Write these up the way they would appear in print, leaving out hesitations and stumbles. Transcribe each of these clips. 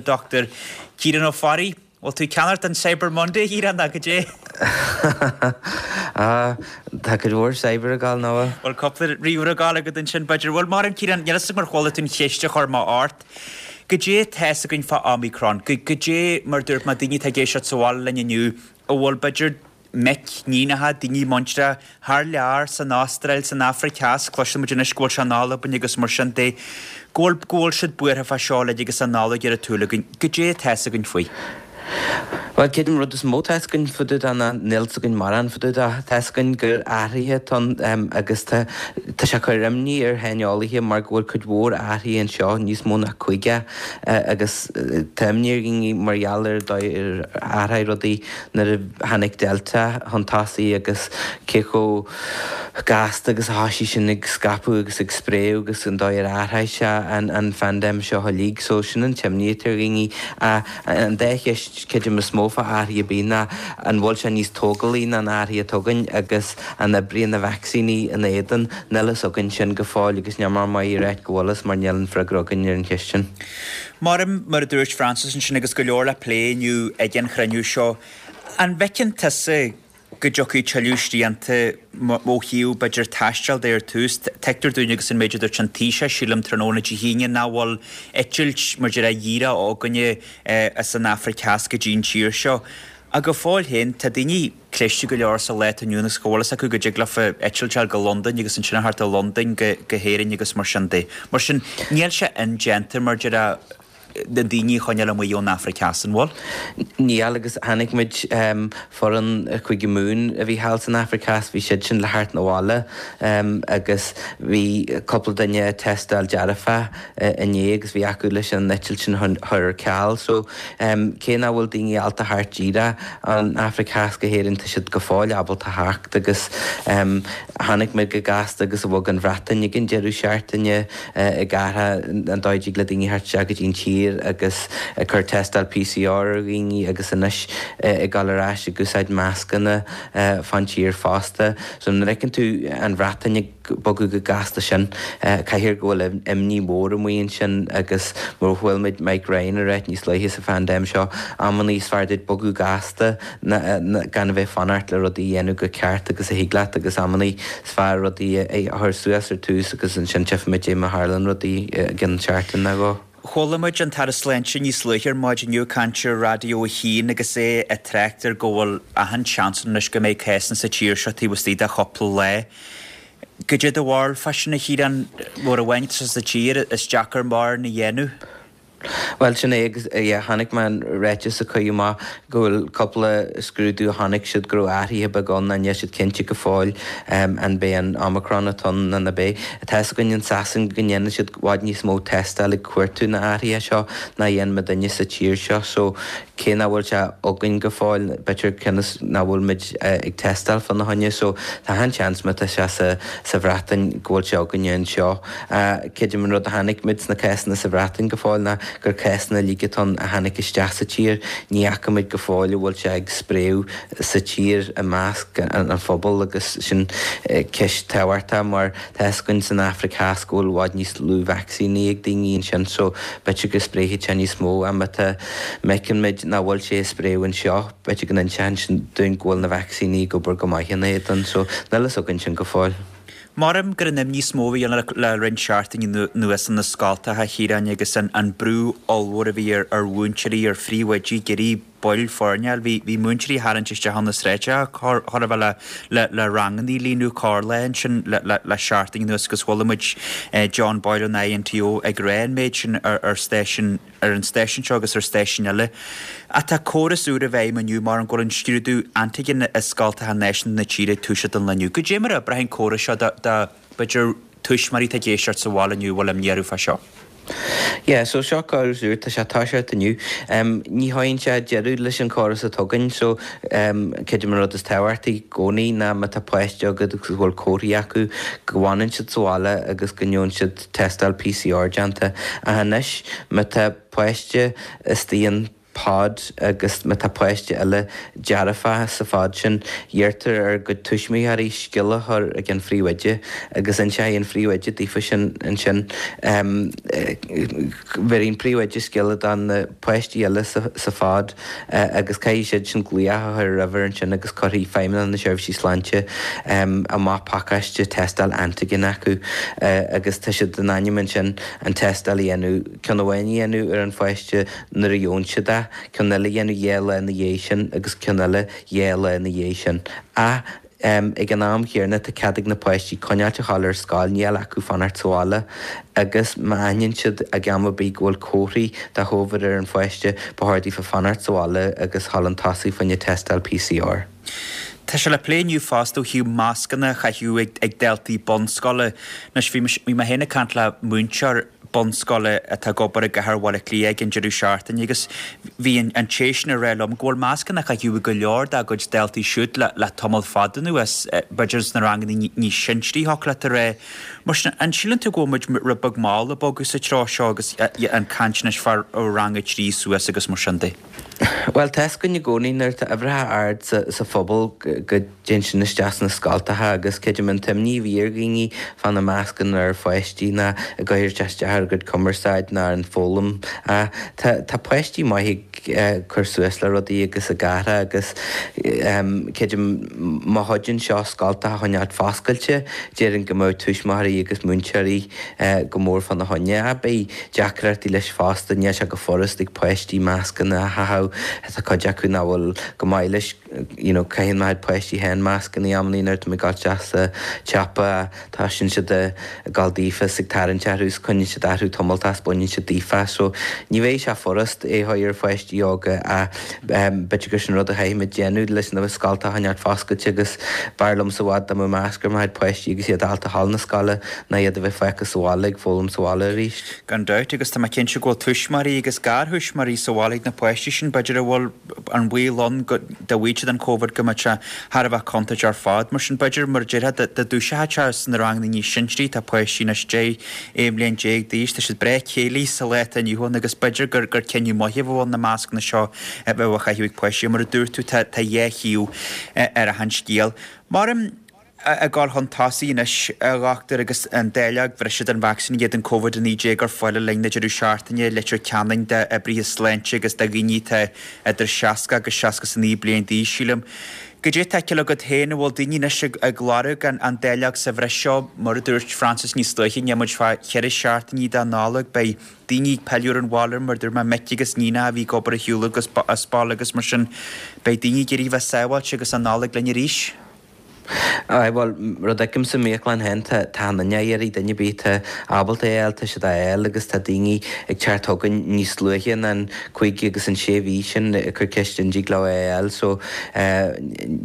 Dr Ciarán Ó Fearraigh. Bhfuil tú ag ceannacht don Cyber Monday, a Chiaráin, nó goidé? Ah, tá cuid mhór cyber ag gabháil, nach bhfuil? Bhfuil cúpla ríomhaire ag gabháil agat ansin, b'fhéidir. Bhuel, maram, Ciarán, níl fhios agam ar chuala tú an cheist a chuir mé ort. Goidé atá fhios againn fá Omicron? Goidé, mar a dúirt mé, daoine atá ag éisteacht sa bhaile linn inniu, a bhfuil, b'fhéidir, mic, níonacha, daoine muinteartha thar lear, san Astráil, san Afraic Theas, cloiseann muid anois go bhfuil sé in Albain agus mar sin de, go bhfuil, go bhfuil siad buartha fá seo uilig agus an Nollaig ar an tsúil againn. Goidé atá fhios againn faoi? Bhuel, creidim an rud is mó atá fhios againn fá dtaobh de ná níl fhios againn mórán fá dtaobh de. Tá fhios againn gur athruithe atá ann agus tá, tá sé ag cur imní ar shaineolaithe mar go bhfuil cuid mhór athruithe anseo, níos mó ná 50, agus tá imní ar dhaoine mar gheall ar an dóigh ar athraigh rudaí nuair a tháinig Delta chun tosaigh agus cé chomh gasta agus a thoisigh sin ag scaipeadh agus ag spréadh agus an dóigh ar athraigh sé an phaindéim seo uilig. So sin an t-imní atá ar dhaoine. An dá cheist, creidim, is mó fá athraithe ar bith ná an bhfuil sé níos tógálaí ná an athraithe atá againn agus an oibríonn na vacsaíní ina éadan. Níl fhios againn sin go fóill agus níl mé maith a ráit go bhfuil fhios mar níl an freagra againn ar an cheist sin. Mar mar a dúirt Francis ansin agus go leor le plé inniu ag an chruinniú seo, an bhfeiceann tusa go dtiocfaidh tuilleadh srianta ó thaobh b'fhéidir taisteal de ar tús? Tuigtear dúinn agus an méid a dúirt an Taoiseach sílim tráthnóna Dé hAoine nach bhfuil eitilt mar déarfá dhíreach againne as an Afraic Theas go dtí an tír seo. Ach go fóill féin tá daoine cliste go leor sa lá atá inniu ann agus go bhfuil fhios acu go dtig leofa eitilt a fháil go Londain agus ansin a theacht ó Londain go hÉirinn agus mar sin de. Mar sin, níl sé indéanta, mar déarfá, na daoine a choinneáil amuigh ón Afraic Theas, an bhfuil? Níl, agus chonaic muid foireann Chúige Mumhan a bhí thall san Afraic Theas, bhí siad sin le theacht 'na bhaile agus bhí cúpla duine ag tástáil dearfach inné agus bhí acu leis an eitilt sin a chur ar ceal. So, cé nach bhfuil daoine ábalta theacht díreach ón Afraic Theas go hÉirinn, tá siad go fóill ábalta theacht agus chonaic muid chomh gasta agus a bhog an Bhreatain ag an deireadh seachtaine ag athrú an dóigh a dtig le daoine theacht isteach go dtí an tír agus ag cur tástáil PCR ar dhaoine agus anois ag dul ar ais ag úsáid mascanna fán tír fosta. So nuair a fheiceann tú an Bhreatain ag. bogadh chomh gasta sin. Caithfidh go bhfuil imní mhór amuigh ansin agus mar a chuala muid Mike Ryan ag ráit níos luaithe sa phaindéim seo, amannaí is fearr duit bogadh gasta ná gan a bheith ag fanacht le rudaí a dhéanamh go ceart agus a thig leat agus amannaí is fearr rudaí a chur suas ar tús agus ansin tchífimid é má tharlaíonn rudaí i gcionn seachtain nó dhó. Chuala muid an tAire Sláinte níos luaithe ar maidin inniu ag caint ar Raidió 1 agus é ag trácht ar go bhfuil achan seans ann anois go mbeidh cásanna sa tír seo taobh istigh de chúpla lá. Goidé do bharúil fá sin, a Chiaráin? Uair amháin atá sé sa tír, is deacair mórán a dhéanamh. Bhuel, sin é agus yeah, chonaic mé an ráiteas a cuireadh amach go bhfuil cúpla scrúdú a chonaic siad go raibh athruithe beaga ann ach níl siad cinnte go fóill an b'é an Omicron atá ann nó ná b'é. Tá fhios againn in Sasain go ndéanann siad i bhfad níos mó tástáil ag cuartú na athruithe seo ná a dhéanann muidinne sa tír seo so cé nach bhfuil sé againn go fóill b'fhéidir cionn is nach bhfuil muid ag tástáil fána choinne so tá an-seans má tá sé sa sa Bhreatain go bhfuil sé againne anseo. Creidim an rud a chonaic muid sna cásanna sa Bhreatain go fóill ná gur cásanna uilig atá ann a tháinig isteach sa tír. Ní fhaca muid go fóill an bhfuil sé ag spréadh sa tír i measc an phobail agus sin ceist tábhachtach mar tá fhios againn san Afraic Theas go bhfuil i bhfad níos lú vacsaíní ag daoine ansin so b'fhéidir go spréifidh sé níos mó ach má tá má fheiceann muid nach bhfuil sé ag spréadh anseo b'fhéidir go n-inseann sin dúinn go bhfuil na vacsaíní ag obair go maith ina éadan so níl fhios againn sin go fóill. Maram gur an imní is mó a bhí ann le roinnt seachtainí anuas na scoltacha, a Chiaráin, agus an brú ollmhór a bhí ar mhúinteoirí, ar phríomhoidí, ag iarraidh baill foirne a fháil. Bhí múinteoirí ag tarraingt isteach ó na sráideacha chóir a bheith le ranganna a líonadh corrlá ansin le seachtain anuas agus chuala muid John Boyle ón INTO ag rá an méid sin ar stáisiún ar an stáisiún seo agus ar stáisiúin eile. Ach tá córas úr i bhfeidhm inniu mar go bhfuil an scrúdú antigen i scoltacha náisiúnta na tíre ag toiseacht an lá inniu. Goidé mar a oibreoidh an córas seo do, do, b'fhéidir, tuismitheoirí atá ag éisteacht sa bhaile inniu a bhfuil imní orthu fá seo? Yeah, so seo córas úr, tá sé ag toiseacht inniu. Ní chuireann sé deireadh leis an chóras atá againn, so creidim an rud is tábhachtaí i gcónaí ná má tá páiste agat agus go bhfuil comharthaí acu, go bhfanann siad sa bhaile agus go ngeobhann siad tástáil PCR déanta. Ach anois, má tá páiste istigh an. pod agus má tá páiste eile dearfach sa phod sin, iarrtar ar a gcuid tuismitheoirí scéala a chur ag an phríomhoide agus inseoidh an phríomhoide daofa sin ansin. Bhéarfaidh an príomhoide scéala do na páistí eile sa phod agus caithfidh siad sin glaoch a chur ar uimhir ansin agus cuirfidh Feidhmeannacht na Seirbhísí Sláinte amach pacáiste tástáil antigen acu agus tá siad in ainm ansin an tástáil a dhéanamh, ceann amháin a dhéanamh ar an pháiste nuair a gheobhann siad é, ceann eile a dhéanamh 2 lá ina dhiaidh sin agus ceann eile 2 lá ina dhiaidh sin. Ach ag an am chéanna tá cead ag na páistí coinneáilt a ghabháil ar scoil, níl acu fanacht sa bhaile agus má aithníonn siad ag am ar bith go bhfuil comharthaí de Chóivid ar an pháiste, ba chóir daofa fanacht sa bhaile agus dhul chun tosaigh fá choinne tástáil PCR. Tá sé le plé inniu fosta ó thaobh mascanna a chaitheamh ag daltaí bunscoile. Anois bhí mé féin ag caint le múinteoir bunscoile atá ag obair i gcathair Bhaile Átha Cliath ag an deireadh seachtaine agus bhí an té sin ag rá liom go bhfuil mascanna á chaitheamh ag go leor dá gcuid daltaí siúd le tamall fada anuas, b'fhéidir sna ranganna níos sinsearaí thiocfadh leat a rá. Mar sin, an síleann tú go bhfuil muid rud beag mall ag bogadh sa treo seo agus an caint anois fá rang a 3 suas agus mar sin de? Bhuel, tá's againn i gcónaí nuair atá uimhreacha ard sa phobal go dtéann sin isteach sna scoltacha agus creidim an t-imní a bhí ar dhaoine fá na mascanna ar pháistí ná go gcuirfeadh sé isteach ar a gcuid cumarsáid ná ar an foghlaim. Tá páistí maith ag cur suas le rudaí agus ag athrá agus creidim má chuidíonn seo scoltacha a choinneáilt foscailte, déarfainn go mbeadh tuismitheoirí agus múinteoirí go mór fána choinne. Ach beidh deacrachtaí leis fosta, níl sé go furast ag páistí mascanna a chaitheamh, tá cuid acu nach bhfuil go maith leis, you know caitheann mo chuid páistí féin mascanna amannaí nuair atá mé ag dul isteach sa tsiopa, toisíonn siad ag gabháil daofa is ag tarraingt orthu is coinníonn siad orthu tamalltach is baineann siad daofa so ní bheidh sé furast é a chur ar pháistí óga ach b'fhéidir gur sin rud a chaithfimid déanamh leis na scoltacha a choinneáilt foscailte agus b'fhearr liomsa i bhfad dá mbeadh masc ar mo chuid páistí agus iad ábalta a ghabháil na scoile ná iad a bheith fágtha sa bhaile ag foghlaim sa bhaile arís. Gan dabht, agus tá mé cinnte go bhfuil tuismitheoirí agus garthuismitheoirí sa bhaile ag na páistí sin, b'fhéidir a bhfuil an baol ann go dá bhfaigheadh siad an Covid go mbeadh sé thar a bheith contúirteach ar fad. Mar sin, b'fhéidir, mar a déarfá, dá dtúiseochadh sé sna ranganna níos sinsearaí, tá páistí anois 10, 11 mbliain d'aois, tá siad breá céillí sa lá atá inniu ann agus b'fhéidir gur gur cinneadh maith a bheadh ann na mascanna seo a bheith á chaitheamh ag páistí. Mar a dúirt tú, tá tá dhá thaobh ar achan scéal. Mar. Ag dul chun tosaigh anois, a dhochtúir, agus an dáileog bhreise den vacsaín in éadan Covid-19 ar fáil le linn na deireadh seachtaine i Leitir Ceanainn d'oibrithe sláinte agus do dhaoine atá idir 60 agus 69 bliain d'aois, sílim. Goidé atá á fheiceáil agat féin, an bhfuil daoine anois ag lorg an dáileog sa bhreis seo? Mar a dúirt Frances níos luaithe, níl muid fá cheithre seachtainí de Nollaig, beidh daoine ag pilleadh ar an bhaile, mar a dúirt mé, mic agus níonacha a bhí ag obair ar shiúl agus as baile agus mar sin, beidh daoine ag iarraidh bheith sábháilte agus an Nollaig linn arís. Aye, bhuel, rud a fheicim sa mbiaclann féin, tá tá an duine á iarraidh, duine ar bith atá ábalta é a fháil, tá siad á fháil agus tá daoine ag teacht chugainn níos luaithe ná an cúig agus an sé mhí sin ag cur ceist an dtig leo é a fháil so eh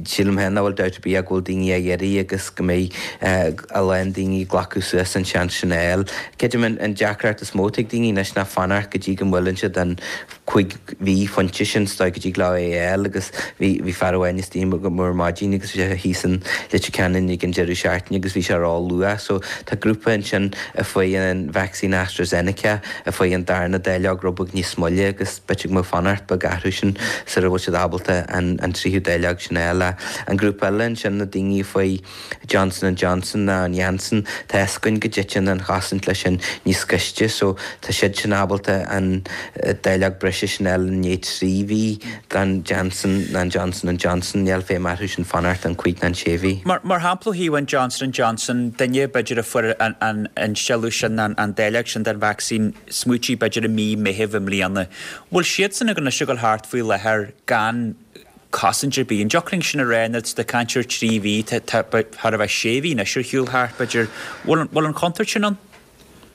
sílim féin nach bhfuil dabht ar bith ach go bhfuil daoine á iarraidh agus go mbeidh eh a lán daoine ag glacadh suas an seans sin a fháil. Creidim an an deacracht is mó atá ag daoine anois ná fanacht go dtí go mbuaileann siad an 5 mhí phointe sin is dóigh go dtig leo é a fháil agus bhí bhí fear amháin istigh agam ar maidin agus bhí sé thíos in Leitir Ceanainn ag an deireadh seachtaine agus bhí sé ró-luath so tá grúpa ansin a fuair an vacsaín AstraZeneca a fuair an darna dáileog rud beag níos moille agus b'fhéidir go mbeadh fanacht beag orthu sin sara bhfuil siad ábalta an an tríú dáileog sin a fháil. An grúpa eile ansin na daoine a fuair Johnson and Johnson ná an Janssen, tá fhios againn go dtiteann an chosaint leis sin níos gaiste so tá siad sin ábalta an dáileog breise sin a fháil i ndiaidh 3 mhí den Janssen ná an Johnson and Johnson, níl feidhm orthu sin fanacht an 5 ná an 6 mhí. Mar shampla ó thaobh an Johnson and Johnson, duine b'fhéidir a fuair an instealladh sin, an dáileog sin den vacsaín, smaoitigh b'fhéidir i mí Meithimh i mbliana, bhfuil siadsan anois ag dul thart faoi láthair gan cosaint ar bith. An dtiocfadh linn sin a rá nuair atá tú ag caint ar 3 mhí, tá thar a bheith 6 mhí anois ar shiúl thart, b'fhéidir. Bhfuil an chontúirt sin ann?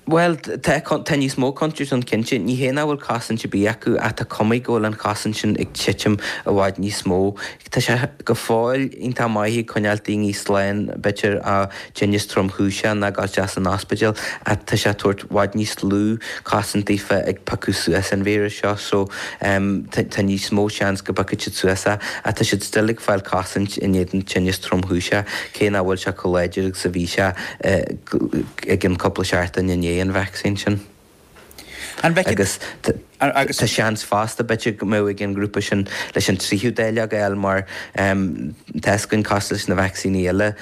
Bhuel, tá, tá níos mó contúirt ann cinnte. Ní hé nach bhfuil cosaint ar bith acu ach tá cuma go bhfuil an chosaint sin ag titim i bhfad níos mó. Tá sé go fóill iontach maith ag coinneáil daoine slán, b'fhéidir, ó tinneas tromchúiseach ná dul isteach san ospidéal ach tá sé ag tabhairt i bhfad níos lú cosaint daofa ag piocadh suas an víreas seo so tá níos mó seans go bpiocfaidh siad suas é ach tá siad still ag fáil cosaint in éadan tinneas tromchúiseach cé nach bhfuil sé chomh láidir agus a bhí sé ag an cúpla seachtain i ndiaidh an vacsaín sin. Agus tá seans fosta b'fhéidir go mbeadh ag an ngrúpa sin leis an tríú dáileog a fháil mar tá fhios againn cosúil leis na vacsaíní eile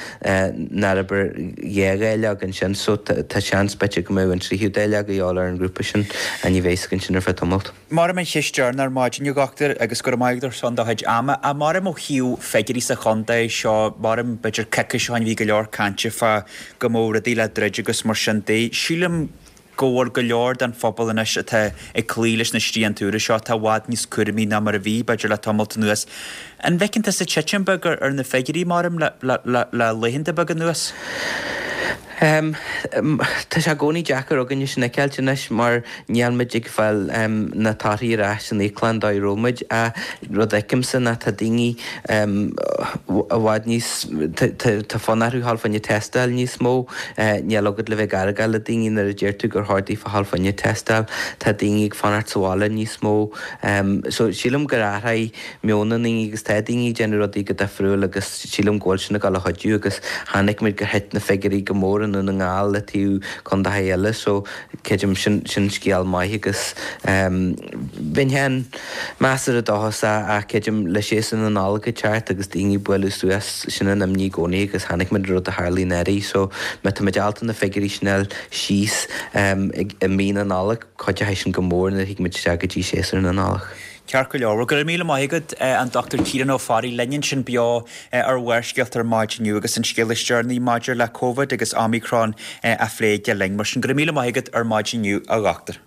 nár oibir dhá dháileog ansin so tá seans b'fhéidir go mbeadh an tríú dáileog a dhíobháil ar an ngrúpa sin ach ní bheidh fhios againn sin ar feadh tamalt. Maram an cheist dheireanach ar maidin a dhochtúir agus go raibh maith agat ar son do chuid ama. Ach maram ó thaobh figiúirí sa chontae seo, maram b'fhéidir coicís ó shin bhí go leor cainte fá go mbeadh rudaí le druid agus mar sin de. Sílim go bhfuil go leor den phobal anois atá ag cloí leis na srianta úra seo atá i bhfad níos cúramaí ná mar a bhí, b'fhéidir, le tamalt anuas. An bhfeiceann tusa titim beag ar na figiúirí, maram, le laethanta beaga anuas? Tá sé i gcónaí deacair againne sin a fheiceáilt anois mar níl muid ag fáil na torthaí ar ais san íoclann dóigh a raibh muid. Ach rud a fheicimse ná tá daoine i bhfad níos, tá fonn orthu dhul fá choinne tástáil níos mó. Níl agat le bheith ag argáil le daoine nuair a deir tú gur chóir daofa dhul fá choinne tástáil. Tá daoine ag fanacht sa bhaile níos mó. So sílim gur athraigh meon na ndaoine agus tá daoine ag déanamh rudaí go difriúil agus sílim go bhfuil sin ag dul a chuidiú agus chonaic muid gur thit na figiúirí go mór i nDún na nGall le taobh contaetha eile so creidim sin sin scéal maith agus bheinn féin measartha dóchasach ach creidim le séasúr na Nollag ag teacht agus daoine ag bualadh suas sin an imní i gcónaí agus chonaic muid an rud a tharlaigh anuraidh so má tá muid ábalta na figiúirí sin a fháil síos i mí na Nollag cuideoidh sin go mór nuair a thig muid isteach go dtí séasúr na Nollag. Ceart go leor. Bhuel, go raibh míle maith agat, an Dr Ciarán Ó Fearraigh, linn ansin beo ar Bharrscéalta ar maidin inniu agus an scéal is deireanaí maidir le Covid agus Omicron á phlé aige linn. Mar sin, go raibh míle maith agat ar maidin inniu, a Dhochtúir.